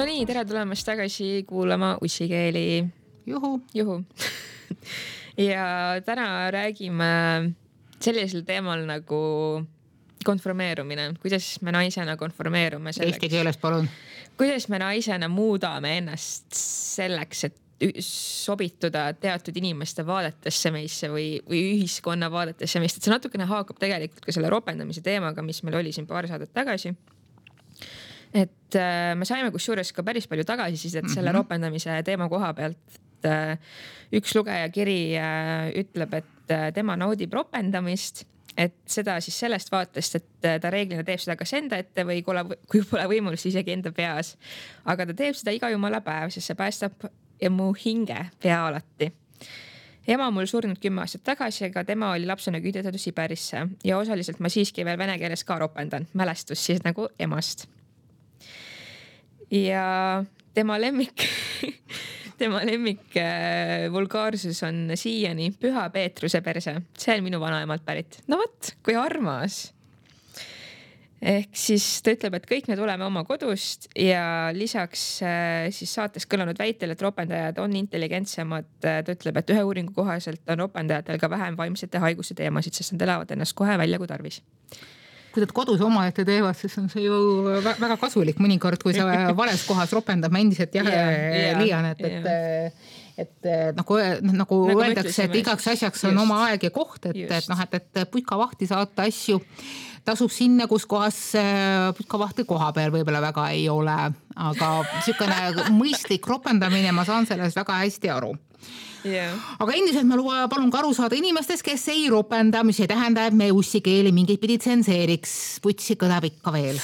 nii, tere tulemast tagasi kuulama Ussikeeli. Juhu. Ja täna räägime sellisel teemal nagu konformeerumine. Kuidas me naisena konformeerume selleks? Eesti keeles, palun. Kuidas me naisena muudame ennast selleks, et sobituda teatud inimeste vaadetesse meisse või ühiskonna vaadetesse meisse. See natukene haakub tegelikult ka selle ropendamise teemaga, mis meil oli siin paar saadet tagasi. Et me saime kusjuures ka päris palju tagasisidet selle ropendamise teema koha pealt. Üks lugeja kiri ütleb, et tema naudib ropendamist, et seda siis sellest vaatest, et ta reeglina teeb seda kas enda ette või kui pole võimalus isegi enda peas. Aga ta teeb seda iga jumala päev, sest see päästab mu hinge pea alati. Ema mul surnud 10 aastat tagasi, aga tema oli lapsena küüdetatud Siberisse ja osaliselt ma siiski veel vene keeles ka ropendan. Mälestus siis nagu emast. Ja tema lemmik vulgaarsus on siiani Püha Peetruse perse. See on minu vanaemalt pärit. No võt, kui armas. Ehk siis ta ütleb, et kõik me tuleme oma kodust ja lisaks siis saates kõlanud väitel, et ropendajad on intelligentsemad. Ta ütleb, et ühe uuringu kohaselt on ropendajatel ka vähem vaimsete haiguste teemasid, sest nad elavad ennast kohe välja kui tarvis. Kui nad kodus oma ette teevad, siis on see ju väga kasulik mõnikord, kui sa vales kohas ropendab. Ma endiselt liian, et nagu öeldakse, et igaks asjaks on oma aeg ja koht, et putkavahti saata asju tasub sinna, kus kohas putkavahti koha peal võib-olla väga ei ole. Aga niisugune mõistlik ropendamine, ma saan sellest väga hästi aru. Yeah. Aga endiselt ma palun ka aru saada inimestest, kes ei ropenda, mis ei tähenda, et me Ussikeeli mingid pidi tsenseeriks. Putsi kõlab ikka veel.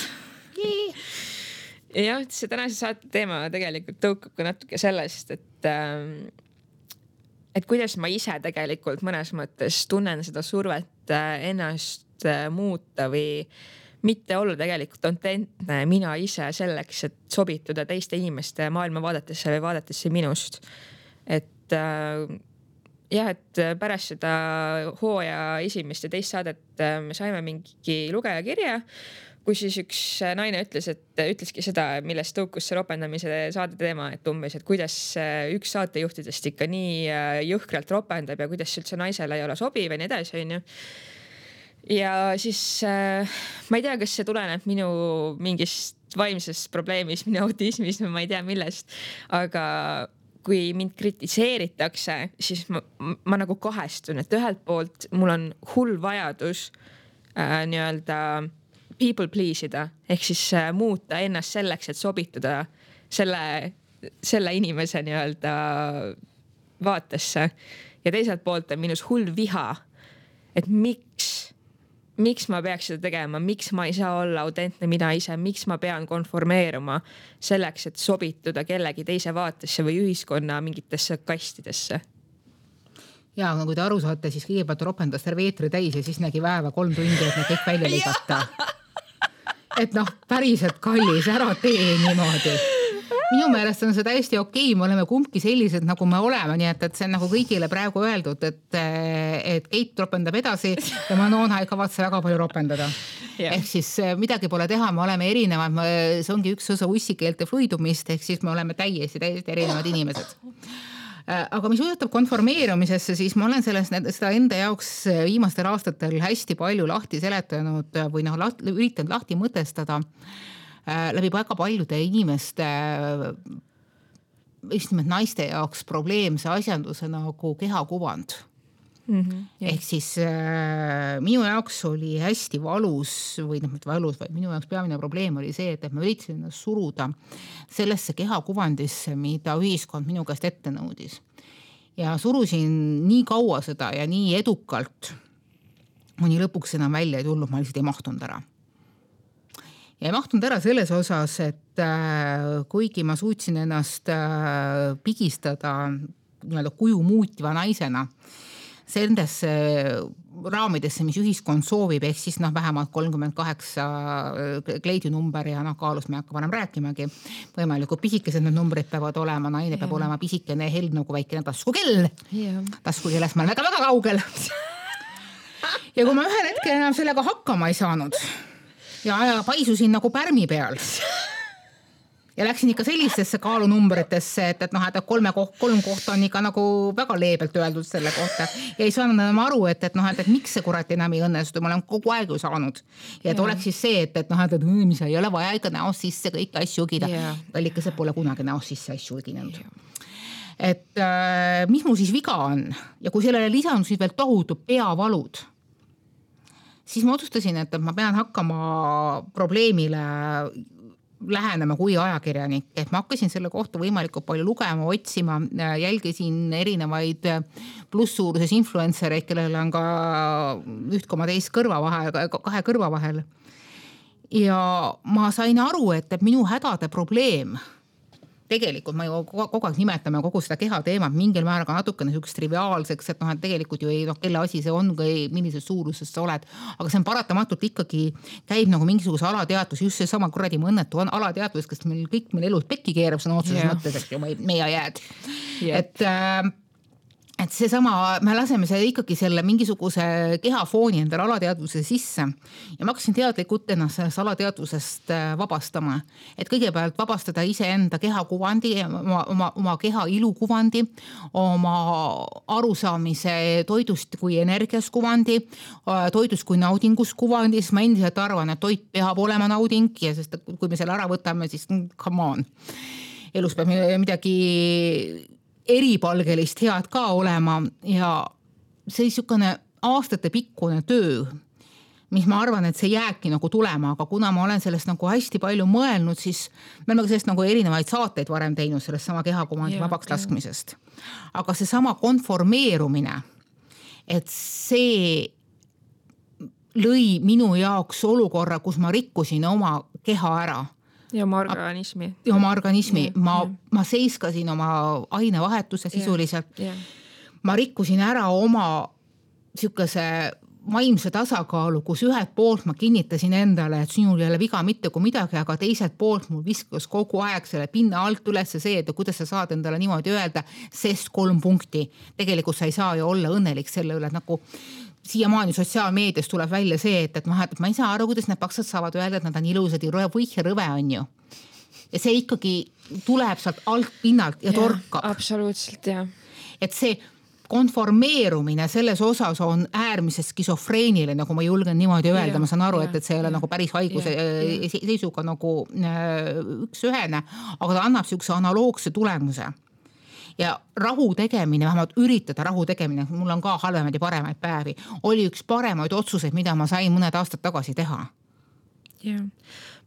Jah, see tänase saate teema tegelikult tõukab ka natuke sellest, et kuidas ma ise tegelikult mõnes mõttes tunnen seda survet ennast muuta või mitte olla tegelikult autentne mina ise selleks, et sobituda teiste inimeste maailmavaadetesse või vaadetesse minust. Et pärast seda hooaja esimest ja teist saadet me saime mingi lugeja kirja, kus siis üks naine ütleski seda, millest tõukus see ropendamise saade teema, et umbes, et kuidas üks saatejuhtidest ikka nii jõhkralt ropendab ja kuidas üldse naisele ei ole sobiv ja nii edasi, on ju. Ja siis ma ei tea, kas see tuleneb minu mingist vaimsest probleemist, minu autismist, ma ei tea millest, aga kui mind kritiseeritakse, siis ma nagu kahestun, et ühelt poolt mul on hull vajadus nii-öelda people please ida, ehk siis muuta ennast selleks, et sobituda selle inimese nii-öelda vaatesse. Ja teiselt poolt on minus hull viha, et miks ma peaks seda tegema, miks ma ei saa olla autentne mina ise, miks ma pean konformeeruma selleks, et sobituda kellegi teise vaatesse või ühiskonna mingitesse kastidesse. Ja kui te aru saate, siis kõigepealt ropendas terve eetri täis ja siis nägi väeva 3 tundi, et need kõik välja ligata. Et päriselt kallis, ära tee niimoodi. Minu meelest on see täiesti okei, me oleme kumbki sellised, nagu me oleme, nii et see on nagu kõigile praegu öeldud, et Keit ropendab edasi ja Manona ei kavatse väga palju ropendada. Yeah. Ehk siis midagi pole teha, me oleme erinevad, see ongi üks osa ussikeelte fluidumist, ehk siis me oleme täiesti erinevad inimesed. Aga mis puudutab konformeerumisesse, siis ma olen seda enda jaoks viimastel aastatel hästi palju lahti seletanud või üritanud lahti mõtestada läbi väga paljude inimeste, just nimelt naiste jaoks probleemse asjanduse nagu kehakuvand. Ehk siis minu jaoks oli hästi valus või minu jaoks peamine probleem oli see, et ma üritasin ennast suruda sellesse kehakuvandisse, mida ühiskond minu käest ette nõudis. Ja surusin nii kaua seda ja nii edukalt, mõni lõpuks enam välja ei tulnud, ma lihtsalt ei mahtunud ära. Ja ei mahtunud ära selles osas, et kuigi ma suutsin ennast pigistada nii-öelda kuju muutiva naisena sellesse raamidesse, mis ühiskond soovib, ehk siis vähemalt 38 kleidinumber ja kaalus me hakka varem rääkimagi. Võimalikult pisikesed need numbrid peavad olema, naine peab olema pisikene held nagu väikene taskukell. Taskukellest ma olen väga kaugel. Ja kui ma ühel hetkel enam sellega hakkama ei saanud ja paisusin nagu pärmi peal ja läksin ikka sellistesse kaalunumbritesse, et noh, et kolm kohta on ikka nagu väga leebelt öeldud selle kohta ja ei saanud enam aru, et noh, et miks see kurat enam ei õnnestu, ma olen kogu aeg ju saanud. Ja et oleks siis see, et noh, et mis ei ole vaja ikka näost sisse kõiki asju õgida. Kallikesed pole kunagi näost sisse asju õginenud. Et mis mul siis viga on ja kui sellele lisandusid veel tohutud peavalud, siis ma otsustasin, et ma pean hakkama probleemile lähenema kui ajakirjanik, et ma hakkasin selle kohta võimalikult palju lugema, otsima, jälgisin erinevaid plusssuuruses influencereid, kellel on ka 1,2 kõrva vahel, 2 kõrva vahel. Ja ma sain aru, et minu hädade probleem, tegelikult ma ju kogu aeg nimetame kogu seda keha teemat mingil määral ka natukene niisugust triviaalseks, et noh, et tegelikult ju ei, noh, kelle asi see on, kui millises suuruses sa oled, aga see on paratamatult ikkagi käib nagu mingisuguse alateadvus, just see sama kuradi õnnetu on alateadvus, kes meil kõik meil elus pekki keerab sõna otseses mõttes, et ju meie jääd. Et see sama, me laseme selle ikkagi selle mingisuguse kehafooni endale alateadvuse sisse ja ma hakkasin teadlikult ennast sellest alateadvusest vabastama. Et kõigepealt vabastada iseenda kehakuvandi, oma keha ilukuvandi, oma arusaamise toidust kui energias kuvandi, toidust kui naudingus kuvandi, siis ma endiselt arvan, et toit peab olema nauding ja sest kui me selle ära võtame, siis come on. Elus peab midagi eripalgelist head ka olema ja see niisugune aastate pikkune töö, mis ma arvan, et see jääbki nagu tulema, aga kuna ma olen sellest nagu hästi palju mõelnud, siis me oleme sellest nagu erinevaid saateid varem teinud sellest sama kehakuvandi vabaks laskmisest. Aga see sama konformeerumine, et see lõi minu jaoks olukorra, kus ma rikkusin oma keha ära. Ja oma organismi. Ja oma organismi. Ma seiskasin oma ainevahetuse sisuliselt. Ma rikkusin ära oma niisuguse vaimse tasakaalu, kus ühelt poolt ma kinnitasin endale, et sinul ei ole viga mitte kui midagi, aga teiselt poolt mul viskas kogu aeg selle pinna alt üles see, et kuidas sa saad endale niimoodi öelda, sest 3 punkti. Tegelikult sa ei saa ju olla õnnelik selle üle, et nagu siiamaani sotsiaalmeedias tuleb välja see, et ma ei saa aru, kuidas need paksad saavad öelda, et nad on ilusad ja rõve on ju. Ja see ikkagi tuleb sealt alt pinnalt ja torkab. Absoluutselt, jah. Et see konformeerumine selles osas on äärmiselt skisofreeniline, nagu ma julgen niimoodi öelda. Ma saan aru, et see ei ole nagu päris haiguse seisuga nagu üks-ühene, aga ta annab niisuguse analoogse tulemuse. Ja rahu tegemine, vähemalt üritada rahu tegemine, mul on ka halvemaid ja paremaid päevi, oli üks paremaid otsuseid, mida ma sain mõned aastad tagasi teha. Ja.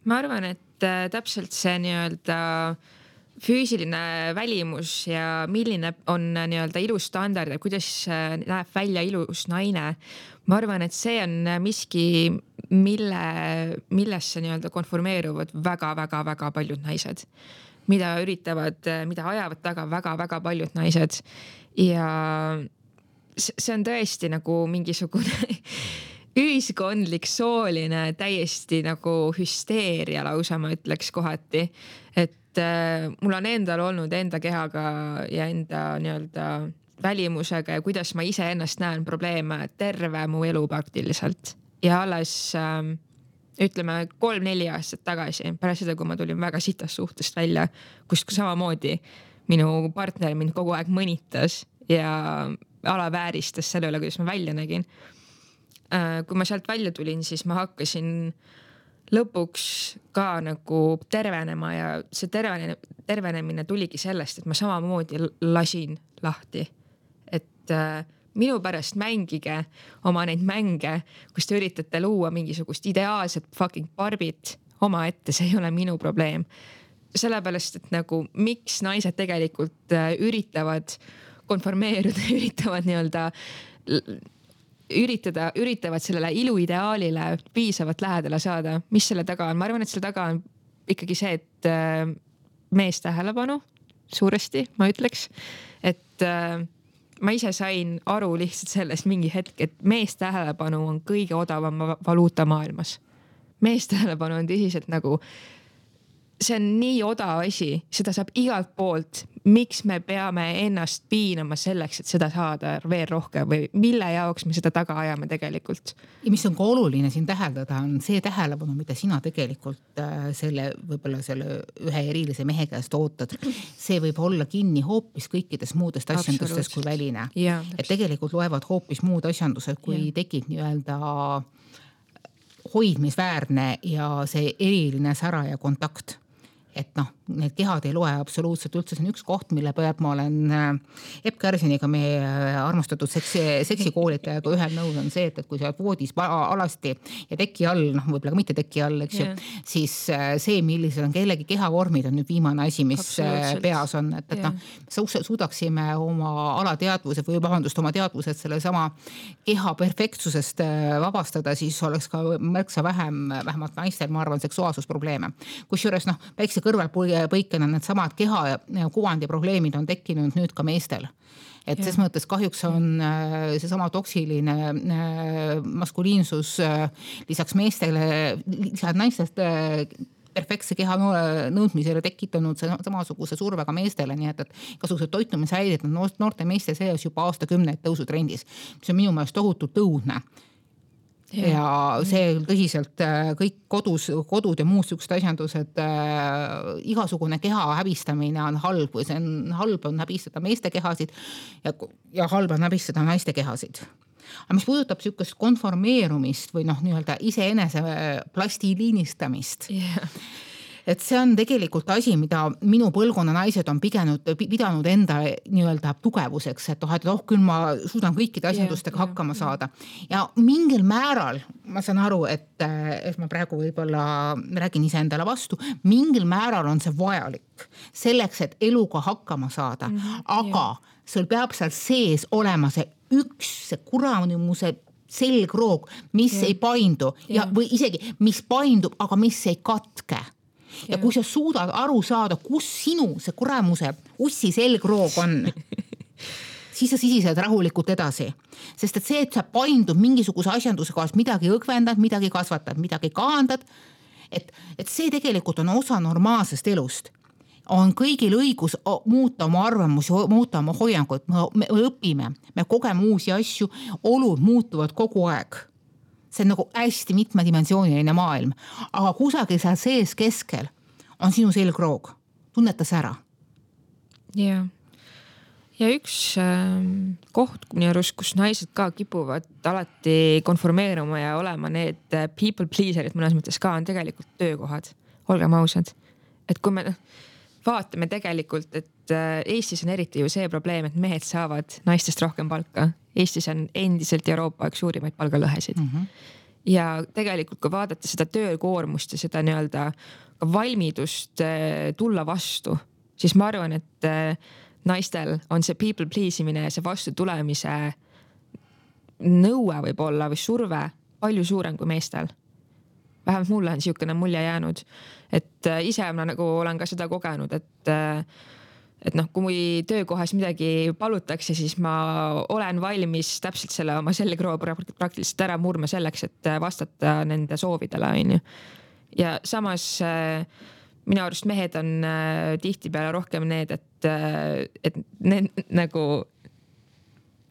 Ma arvan, et täpselt see nii-öelda füüsiline välimus ja milline on nii-öelda ilus standard ja kuidas näeb välja ilus naine. Ma arvan, et see on miski, millesse nii-öelda konformeeruvad väga paljud naised. Mida ajavad taga väga paljud naised. Ja see on tõesti nagu mingisugune ühiskondlik sooline täiesti nagu hüsteeria lausa, ma ütleks kohati. Et mul on endal olnud enda kehaga ja enda nii-öelda välimusega ja kuidas ma ise ennast näen probleeme terve mu elu praktiliselt. Ja alles ütleme 3-4 aastat tagasi, pärast seda, kui ma tulin väga sitast suhtest välja, kus samamoodi minu partner mind kogu aeg mõnitas ja alavääristas selle üle, kuidas ma välja nägin. Kui ma sealt välja tulin, siis ma hakkasin lõpuks ka nagu tervenema ja see tervenemine tuligi sellest, et ma samamoodi lasin lahti. Et minu pärast mängige oma neid mänge, kus te üritate luua mingisugust ideaalset fucking barbit oma ette, see ei ole minu probleem. Sellepärast, et nagu miks naised tegelikult üritavad konformeeruda, üritavad nii-öelda üritavad sellele iluideaalile piisavalt lähedale saada. Mis selle taga on? Ma arvan, et selle taga on ikkagi see, et mees tähelepanu suuresti, ma ütleks, et ma ise sain aru lihtsalt sellest mingi hetk, et mees tähelepanu on kõige odavam valuuta maailmas. Mees tähelepanu on tõsiselt nagu see on nii odav asi, seda saab igalt poolt. Miks me peame ennast piinama selleks, et seda saada veel rohkem või mille jaoks me seda taga ajame tegelikult? Ja mis on ka oluline siin täheldada, on see tähelepanu, mida sina tegelikult võib-olla selle ühe erilise mehe käest ootad. See võib olla kinni hoopis kõikidest muudest asjandustest kui väline. Et tegelikult loevad hoopis muud asjandused, kui tekib nii-öelda hoidmisväärne ja see eriline sära ja kontakt. Et need kehad ei loe absoluutselt üldse. See on üks koht, mille pealt ma olen Epp Kärsiniga, meie armastatud seksikoolitajaga ühel nõus on see, et kui sa oled voodis alasti ja teki all, võib-olla ka mitte teki all, eks ju, siis see, millised on kellegi kehavormid, on nüüd viimane asi, mis peas on. Suudaksime oma alateadvuse või oma teadvused selle sama keha perfektsusest vabastada, siis oleks ka märksa vähemalt naistel, ma arvan, seksuaalsusprobleeme. Kusjuures väikse kõrvalpõikena need samad keha ja kuvandi probleemid on tekkinud nüüd ka meestel. Et ses mõttes kahjuks on see sama toksiline maskuliinsus lisaks meestele, lisaks naistest perfektse keha nõudmisele tekitanud samasuguse survega meestele, nii et igasugused toitumishäired on noorte meeste seas juba aastakümneid tõusutrendis, mis on minu meelest tohutult tõudne. Ja see tõsiselt kõik kodud ja muud sugused asjandused, igasugune keha häbistamine on halb või see on halb on häbistada meeste kehasid ja halb on häbistada naiste kehasid. Aga mis puudutab sükest konformeerumist või nii-öelda iseenese plastiliinistamist, et see on tegelikult asi, mida minu põlvkonna naised on pidanud enda nii-öelda tugevuseks, et küll ma suudan kõikide asjandustega hakkama saada. Ja mingil määral, ma saan aru, et ma praegu võib-olla räägin ise endale vastu, mingil määral on see vajalik selleks, et eluga hakkama saada. Aga sul peab seal sees olema see kuramuse selgroog, mis ei paindu või isegi mis paindub, aga mis ei katke. Ja kui sa suudad aru saada, kus sinu see kuramuse ussi selgroog on, siis sa sisised rahulikult edasi. Sest et see, et sa paindud mingisuguse asjanduse kohast, midagi õgvendad, midagi kasvatad, midagi kaandad, et see tegelikult on osa normaalsest elust. On kõigil õigus muuta oma arvamusi, muuta oma hoiangut, me õpime, me kogeme uusi asju, olud muutuvad kogu aeg. See on nagu hästi mitmedimensiooniline maailm, aga kusagil seal sees keskel on sinu selgroog. Tunneta see ära. Ja üks koht, minu arust, kus naised ka kipuvad alati konformeeruma ja olema need people pleaserid mõnes mõttes ka on tegelikult töökohad. Olgem ausad. Et kui me vaatame tegelikult, et Eestis on eriti ju see probleem, et mehed saavad naistest rohkem palka. Eestis on endiselt Euroopa üks suurimaid palgalõhesid. Ja tegelikult, kui vaadata seda töökoormust ja seda nii-öelda valmidust tulla vastu, siis ma arvan, et naistel on see people pleasimine ja see vastu tulemise nõue võib olla või surve palju suurem kui meestel. Vähemalt mulle on siukene mulje jäänud, et ise ma nagu olen ka seda kogenud, et kui töökohas midagi palutakse, siis ma olen valmis täpselt selle oma selgroo praktiliselt ära murma selleks, et vastata nende soovidele. Ja samas minu arust mehed on tihtipeale rohkem need, et nagu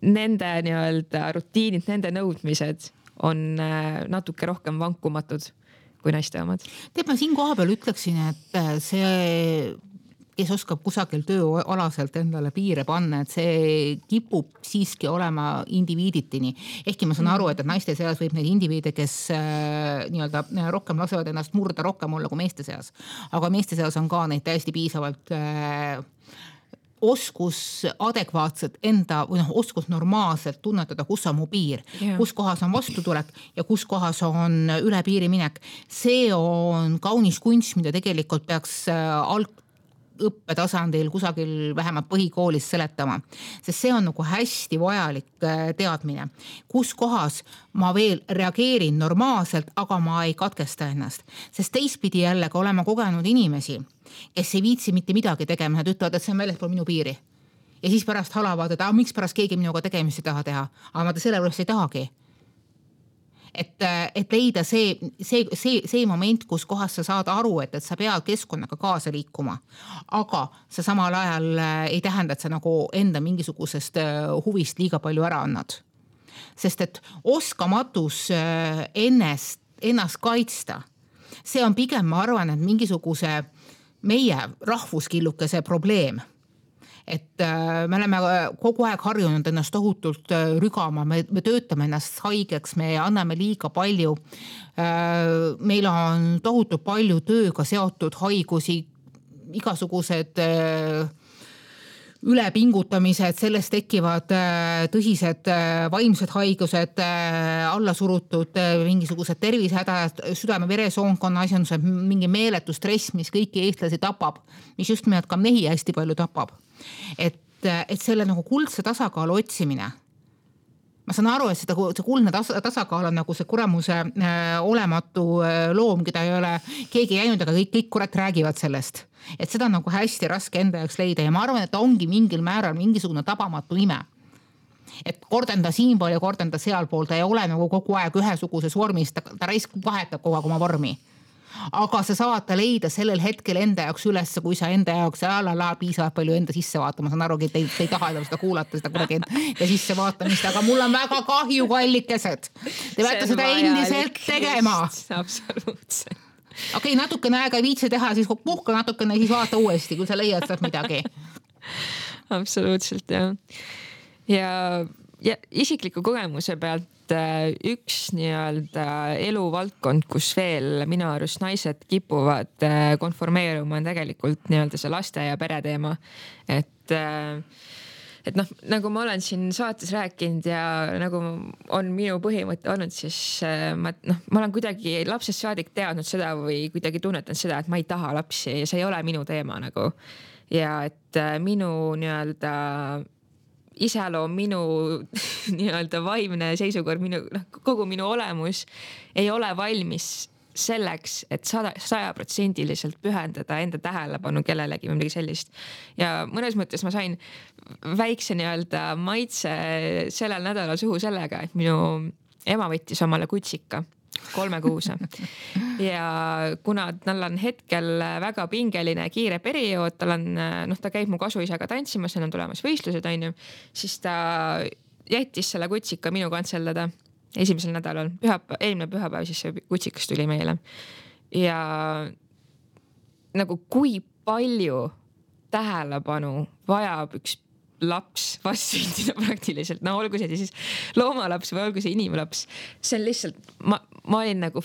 nende nii-öelda rutiinid, nende nõudmised on natuke rohkem vankumatud kui naiste omad. Ma siin koha peal ütleksin, et see, kes oskab kusagil tööalaselt endale piire panna, et see kipub siiski olema indiviiditini. Ehkki ma saan aru, et naiste seas võib neid indiviide, kes nii-öelda rohkem lasevad ennast murda rohkem olla kui meeste seas. Aga meeste seas on ka neid täiesti piisavalt oskus adekvaatselt enda või oskus normaalselt tunnetada, kus on mu piir, kus kohas on vastutulek ja kus kohas on üle piiri minek. See on kaunis kunst, mida tegelikult peaks õppetasandil kusagil vähemalt põhikoolis seletama, sest see on nagu hästi vajalik teadmine, kus kohas ma veel reageerin normaalselt, aga ma ei katkesta ennast, sest teistpidi jällegi olema kogenud inimesi, kes ei viitsi mitte midagi tegema, nad ütlevad, et see on väljaspool minu piiri ja siis pärast halavad, et miks pärast keegi minuga tegemist ei taha teha, aga ma selle pärast ei tahagi. et leida see moment, kus kohas sa saad aru, et sa pead keskkonnaga kaasa liikuma, aga sa samal ajal ei tähenda, et sa nagu enda mingisugusest huvist liiga palju ära annad. Sest et oskamatus ennast kaitsta, see on pigem, ma arvan, et mingisuguse meie rahvuskillukese probleem. Et me oleme kogu aeg harjunud ennast tohutult rügama, me töötame ennast haigeks, me anname liiga palju. Meil on tohutult palju tööga seotud haigusi, igasugused ülepingutamised, sellest tekivad tõsised vaimsed haigused, allasurutud mingisugused tervisehädad, südame-veresoonkonna asjandused, mingi meeletu stress, mis kõiki eestlasi tapab, mis just nimelt ka mehi hästi palju tapab. Et selle nagu kuldse tasakaalu otsimine. Ma saan aru, et see kuldne tasakaal on nagu see kuramuse olematu loom, keda ei ole keegi jäinud, aga kõik kurat räägivad sellest. Et seda on nagu hästi raske enda jaoks leida ja ma arvan, et ongi mingil määral mingisugune tabamatu ime. Et kordenda siinpool ja kordenda sealpool, ta ei ole nagu kogu aeg ühesuguses vormis, ta vahetab kogu aeg oma vormi. Aga sa saad ta leida sellel hetkel enda jaoks üles, kui sa enda jaoks piisavalt palju enda sisse vaata. Ma saan aru, et te ei taha seda kuulata, seda kuidagi enda sisse vaatamist, aga mul on väga kahju, kallikesed. Te peate seda endiselt tegema. Absoluutselt. Okei, natukene aega ei viitse teha, siis puhka natukene, siis vaata uuesti, kui sa leiad sealt midagi. Absoluutselt, jah. Ja isikliku kogemuse pealt üks nii-öelda eluvaldkond, kus veel minu arust naised kipuvad konformeeruma, on tegelikult nii-öelda see laste ja pere teema. Et noh, nagu ma olen siin saates rääkinud ja nagu on minu põhimõte olnud, siis ma olen kuidagi lapsest saadik teadnud seda või kuidagi tunnetanud seda, et ma ei taha lapsi ja see ei ole minu teema nagu. Ja et minu nii-öelda iseloom, minu nii-öelda vaimne seisukord, kogu minu olemus ei ole valmis selleks, et 100% pühendada enda tähelepanu kellelegi või midagi sellist. Ja mõnes mõttes ma sain väikse nii-öelda maitse sellel nädalal suhu sellega, et minu ema võttis omale kutsika 3 kuuse. Ja kuna tal on hetkel väga pingeline kiire periood, ta käib mu kasuisaga tantsimas, on tulemas võistlused, siis ta jättis selle kutsika minu kantseldada esimesel nädalal. Eelmine pühapäev siis see kutsikas tuli meile. Ja nagu kui palju tähelepanu vajab üks laps vastsündida praktiliselt. No olgu see siis loomalaps või olgu see inimlaps. See on lihtsalt, ma olin nagu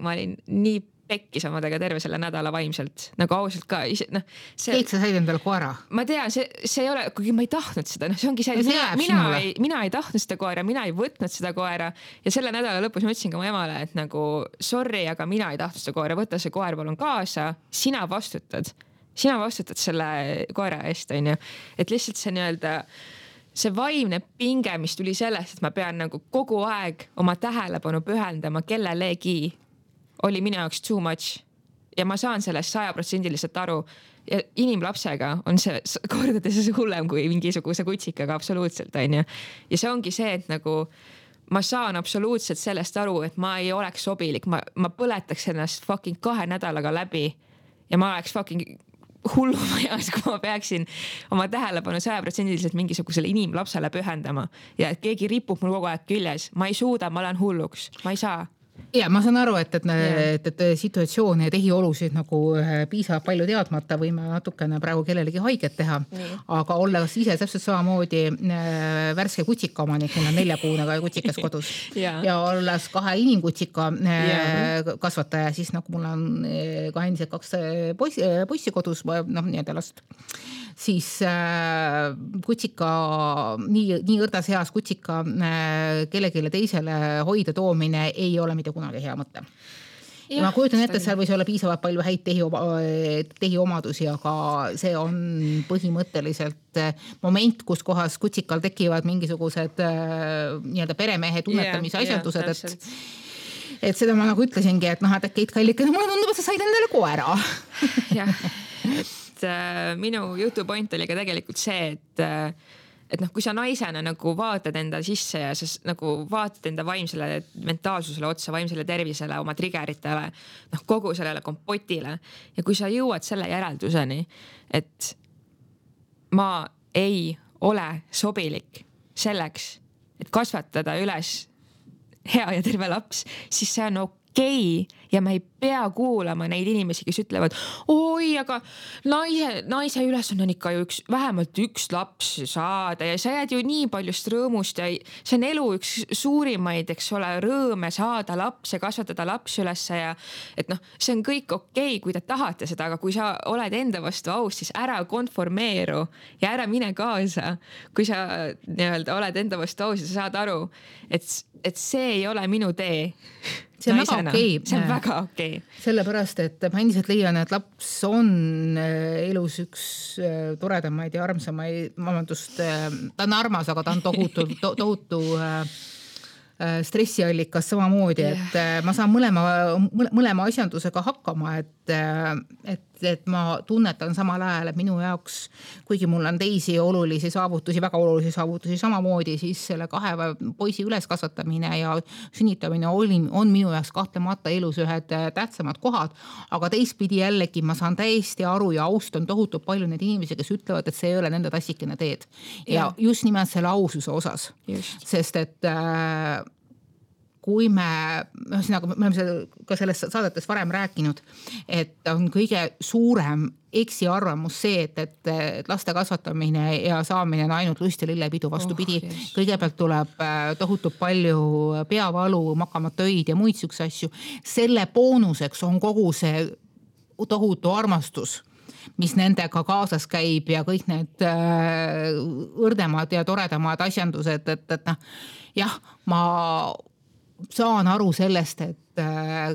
ma olin nii pekkis omadega terve selle nädala vaimselt. Nagu ausalt ka. Kõik sa said endale koera? Ma tean, see ei ole, kuigi ma ei tahtnud seda. See ongi see, mina ei tahtnud seda koera, mina ei võtnud seda koera. Ja selle nädala lõpus ma ütlesin ka mu emale, et nagu sorry, aga mina ei tahtnud seda koera. Võta see koer palun kaasa, sina vastutad selle koera eest, et lihtsalt see nii-öelda see vaimne pinge, mis tuli sellest, et ma pean nagu kogu aeg oma tähelepanu pühendama kellelegi, oli minu jaoks too much ja ma saan sellest 100% aru ja inimlapsega on see kordades hullem kui mingisuguse kutsikaga absoluutselt, ja see ongi see, et nagu ma saan absoluutselt sellest aru, et ma ei oleks sobilik, ma põletaks ennast fucking 2 nädalaga läbi ja ma oleks fucking hullumajas, kui ma peaksin oma tähelepanu 100% mingisugusele inimlapsele pühendama ja et keegi ripub mul kogu aeg küljes. Ma ei suuda, ma olen hulluks, ma ei saa. Ja ma saan aru, et situatsioone ja tehiolusid nagu piisab palju teadmata võime natukene praegu kellelegi haiget teha, aga olles ise täpselt samamoodi värske kutsika omanik, mul on 4-kuune kutsikas kodus ja olles 2 inimkutsika kasvataja, siis nagu mul on ka endiselt 2 poissi kodus, nii-öelda last, siis kutsika, nii õrdas heas kutsika kellegile teisele hoida toomine ei ole mitte kunagi hea mõte. Ja ma kujutan ette, et seal võis olla piisavalt palju häid tehiomadusi, aga see on põhimõtteliselt moment, kus kohas kutsikal tekivad mingisugused nii-öelda peremehe tunnetamise asjandused, et seda ma nagu ütlesingi, et äkki Kallike, mulle tundub, et sa said endale koera. Jah, et minu jutu point oli ka tegelikult see, et noh, kui sa naisena nagu vaatad enda sisse ja sa nagu vaatad enda vaimsele mentaalsusele otsa, vaimsele tervisele, oma triggeritele, noh kogu sellele kompotile ja kui sa jõuad selle järelduseni, et ma ei ole sobilik selleks, et kasvatada üles hea ja terve laps, siis see on okei ja ma ei pea kuulama neid inimesi, kes ütlevad, oi, aga naise ülesanne on ikka ju vähemalt üks laps saada ja sa jääd ju nii paljust rõõmust ja see on elu üks suurimaid, eks ole, rõõme saada laps ja kasvatada laps ülesse ja et noh, see on kõik okei, kui te tahate seda, aga kui sa oled enda vastu aus, siis ära konformeeru ja ära mine kaasa. Kui sa nii-öelda oled enda vastu aus ja sa saad aru, et see ei ole minu tee. See on väga okei. See on väga okei. Sellepärast, et ma endiselt leian, et laps on elus üks toredamaid ja armsamaid, vabandust, ta on armas, aga ta on tohutu stressiallikas samamoodi, et ma saan mõlema asjandusega hakkama, et ma tunnetan samal ajal, et minu jaoks, kuigi mul on teisi olulisi saavutusi, väga olulisi saavutusi samamoodi, siis selle 2 poisi üleskasvatamine ja sünnitamine on minu jaoks kahtlemata elus ühed tähtsamad kohad, aga teistpidi jällegi ma saan täiesti aru ja austan tohutult palju neid inimesi, kes ütlevad, et see ei ole nende tassikene teed. Ja just nimelt selle aususe osas. Sest et kui me oleme ka selles saadetes varem rääkinud, et on kõige suurem eksiarvamus see, et laste kasvatamine ja saamine on ainult lust ja lillepidu, vastupidi. Kõigepealt tuleb tohutult palju peavalu, makamatöid ja muid sükse asju. Selle boonuseks on kogu see tohutu armastus, mis nendega kaasas käib ja kõik need õrdemad ja toredamad asjandused, et jah, ma saan aru sellest, et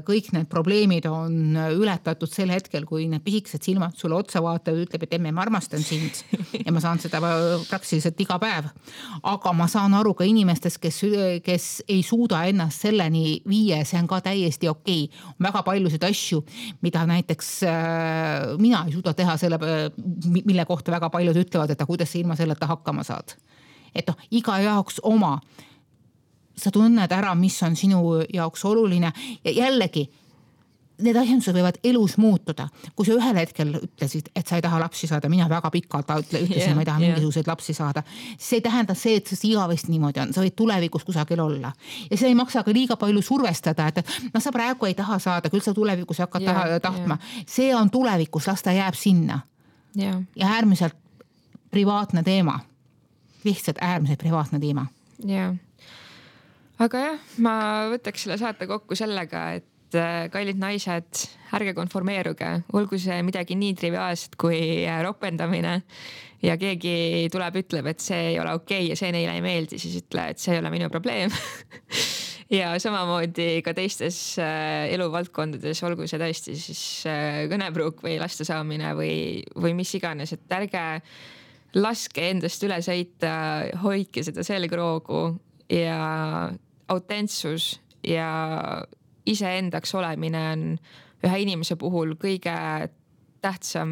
kõik need probleemid on ületatud sel hetkel, kui need pisikesed silmad sulle otsa vaatavad, ütleb, et emme, ma armastan sind ja ma saan seda praktiliselt iga päev. Aga ma saan aru ka inimestest, kes ei suuda ennast selleni viia, see on ka täiesti okei. Väga paljusid asju, mida näiteks mina ei suuda teha selle, mille kohta väga paljud ütlevad, et kuidas sa ilma selleta hakkama saad. Et iga jaoks oma. Sa tunned ära, mis on sinu jaoks oluline ja jällegi need asjandused võivad elus muutuda. Kui sa ühel hetkel ütlesid, et sa ei taha lapsi saada, mina väga pikalt ütlesin, ma ei taha mingisuguseid lapsi saada. See ei tähenda see, et see igavesti niimoodi on. Sa võid tulevikus kusagil olla. Ja see ei maksa ka liiga palju survestada, et sa praegu ei taha saada, küll sa tulevikus hakkad tahtma. See on tulevikus, las ta jääb sinna. Ja äärmiselt privaatne teema. Lihtsalt äärmiselt privaatne teema. Jah. Aga jah, ma võtaks selle saate kokku sellega, et kallid naised, ärge konformeeruge, olgu see midagi nii triviaalset kui ropendamine ja keegi tuleb, ütleb, et see ei ole okei ja see neile ei meeldi, siis ütle, et see ei ole minu probleem. Ja samamoodi ka teistes eluvaldkondades, olgu see tõesti siis kõnepruuk või laste saamine või mis iganes, et ärge laske endast üle sõita, hoidke seda selgroogu ja autentsus ja iseendaks olemine on ühe inimese puhul kõige tähtsam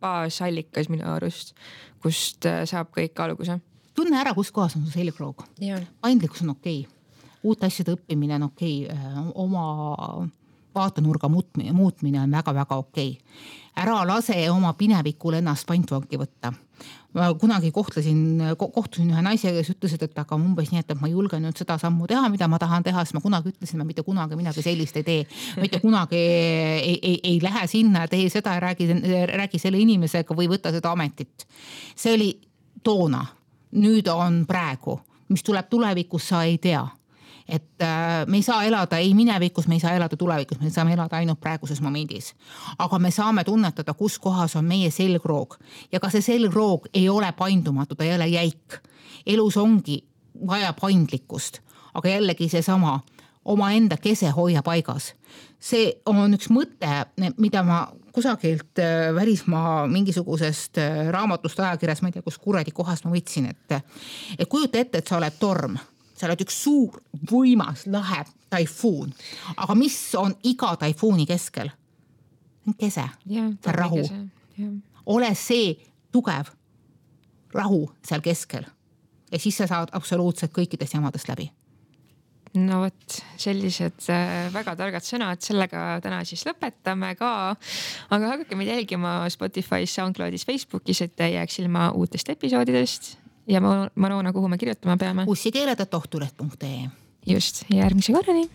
baasallikas minu arust, kust saab kõik alguse. Tunne ära, kus kohas on su selgroog. Paindlikkus on okei. Uut asjade õppimine on okei. Oma vaatenurga muutmine on väga-väga okei. Ära lase oma pinevikul ennast pantvangi võtta. Ma kunagi kohtusin ühe naise, kes ütlesid, et aga umbes nii, et ma julgen nüüd seda sammu teha, mida ma tahan teha, siis ma kunagi ütlesin, ma mitte kunagi midagi sellist ei tee. Mitte kunagi ei lähe sinna, tee seda ja räägi selle inimesega või võta seda ametit. See oli toona. Nüüd on praegu. Mis tuleb tulevikus, sa ei tea. Et me ei saa elada ei minevikus, me ei saa elada tulevikus, me saame elada ainult praeguses momendis. Aga me saame tunnetada, kus kohas on meie selgroog. Ja ka see selgroog ei ole paindumatu, ta ei ole jäik. Elus ongi vaja paindlikkust, aga jällegi see sama oma enda kese hoia paigas. See on üks mõte, mida ma kusagilt välismaa mingisugusest raamatust ajakirjas, ma ei tea, kus kuradi kohast ma võtsin, et kujuta ette, et sa oled torm. Sa oled üks suur, võimas, lahe taifuun. Aga mis on iga taifuuni keskel? See on kese. See on rahu. Ole see tugev. rahu seal keskel ja siis sa saad absoluutselt kõikidest jamadest läbi. No vot, sellised väga targad sõnad, sellega täna siis lõpetame ka, aga hakake meid jälgima Spotify's, SoundCloudis, Facebookis, et ei jääks ilma uutest episoodidest ja Marona, kuhu me kirjutama peame? ussikeeled@ohtuleht.ee. Just, järgmise korrani.